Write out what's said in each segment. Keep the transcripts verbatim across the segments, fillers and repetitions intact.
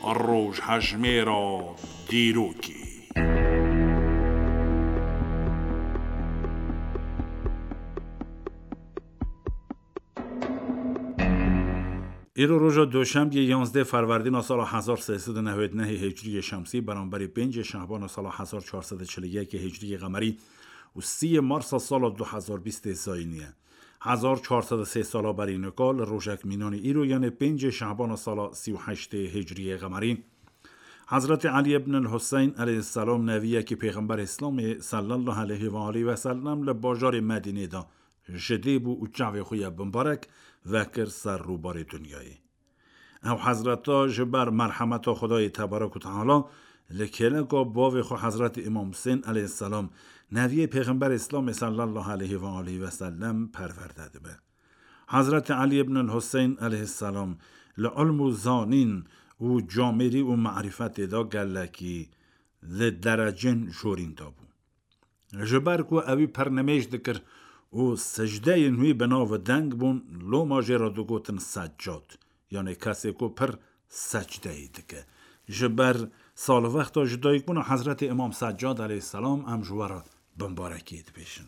Rojhejmêra dîrokê. Îro roja Doşembiyê, yanzdeh Ferwerdîna sala hezar sê sed û newed û nehê Hicriyê Şemsî, beramberî pêncê Şehbana sala hezar çar sed û çil û yekê Hicriyê Qemerî û sîyê Marsa sala du hezar bîstê Zayînî ye. Hezar çar sed û sê sala berî nika li rojek mînanî îro, yanê pêncê Şehbana sala sî û heştê Hicriyê Qemerî, Hezretî Elî ibn el-Huseyn aleyhisselam, neviyekî Pêxember Îslamê sallallahu aleyhi ve aleyhi ve sellem, li bajarê Medînê de ji dê bû û çavê xwe ya bimbarek vekir ser rûbarê dinyayê. Ew hezreta ji ber merhemeta Xwedayê tebarek û teala li kêleka bavê xwe Hezretî Îmam Husên aleyhisselam, neviyê Pêxember Îslamê sallallahu aleyhi ve aleyhi ve sellem, perwerde dibe. Hezretî Elî ibn el-Huseyn aleyhisselam li ilm û zanîn û camêrî û marîfetê de gelekî li derecên jorîn de bû. Ji ber ku ewî pir nimêj dikir û sicdeyên wî bi nav deng bûn, loma jê re digotin Seccad, yanê kesê ku pir secdeyê dike. Ji ber salwexta ji dayikbûna Hezretî Îmam Seccad aleyhisselam em ji we re bimbarekiyê dibêjin.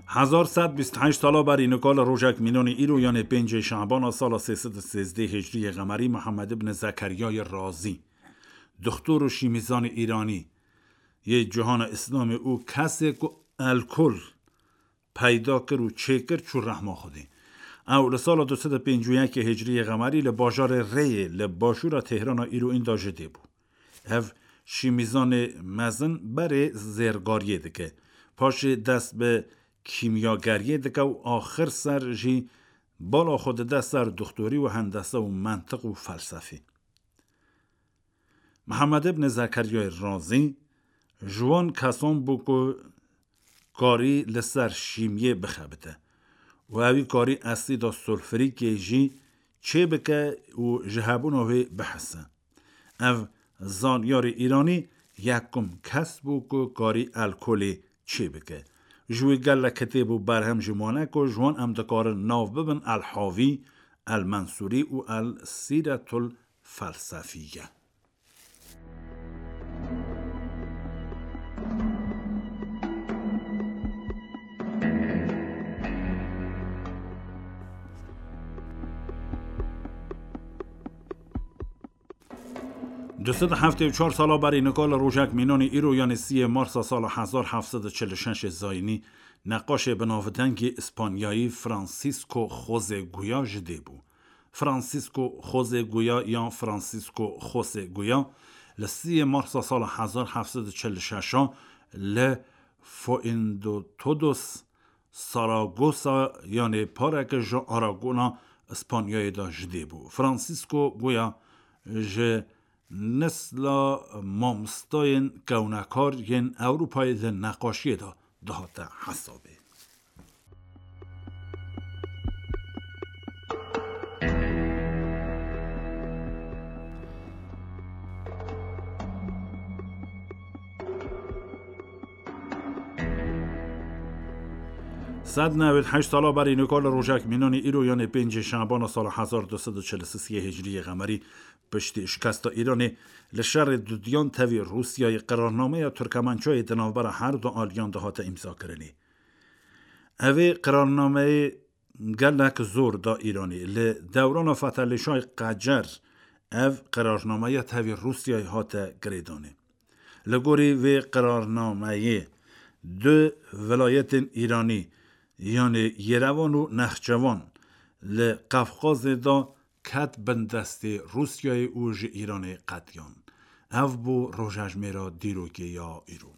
Hezar sed bîst heşt sala berî nika li rojek mînanî îro, yanê pêncê Şabana sala sê sed û sêzdeh Hicriyê Qemerî, Mihemed ibn Zekeryayê Razî, dixtor û şîmîzanê Îranî yê cihana Îslamê û kesê ku elkol peyda kir û çêkir, çû rehma Xwedê. Ew li sala du sed û pêncî û yekê Hicriyê Qemerî li bajarê Rêyê li başûra Têhrana îro înda ji dê bû. Ev şîmîzanê mezin berê zêrgariyê dike. Paşê dest bi kîmyageriyê dike û axir ser jî bala xwe dide ser dixtorî û hendese û mentiq û felsefî. Mihemed ibn Zekeryayê Razî ji wan kesan bû ku karî li ser şîmiyê bixebite û ewî karî esîda sulfurîkê jî çêbike û ji hebûna wê bihese. Ev zanyarê Îranî yekum kes bû ku karî elkolê çêbike. Ji wî gelek kitêb û berhem jî mane ku ji wan em dikarin nav bibin El Havî, El Mensûrî û El Sîretul Felsefiye. Du sed û heftê û çar sala berî nika li rojek mînanî îro, yanê siyê Marsa sala hezar heft sed û çil û şeş zayînî, neqaşê bi navdengî Îspanyayî Francisco José Goya ji dê bû. Francisco José Goya yan Francisco José Goya li siyê Marsa sala hezar heft sed û çil û şeş li Fuendotodos Saragosa, yanê pareke ji Aragona Îspanyayê de ji dê bû. Francisco Goya ji nesla mamostayên kewnekar yên Ewropayê di neqaşiyê de dihate hesabê. Sed newêd heşt sala berî nika li rojek mînanî îro, yanê pêncê Şabana sala hezar du sed û çil û sê Hicriyê Qemerî, piştî şikesta Îranê li şerê dudiyan tevî Rûsyayê, qirarnameya Tirkemençayê di navbera her du aliyan de hate îmzakirinê. Evê qirarnameyê gelek zor da Îranê. Li dewrana Fetelîşay Qecer ev qirarnameya tevî Rûsyayê hate girêdanê. Li gorî vê qirarnameyê du vilayetên Îranî, yanê Yerevan û Nexçevan, li Qefqazê de ket bin destê Rûsyayê û ji Îranê qetiyan. Ev bû rojejmêra dîrokê ya îro.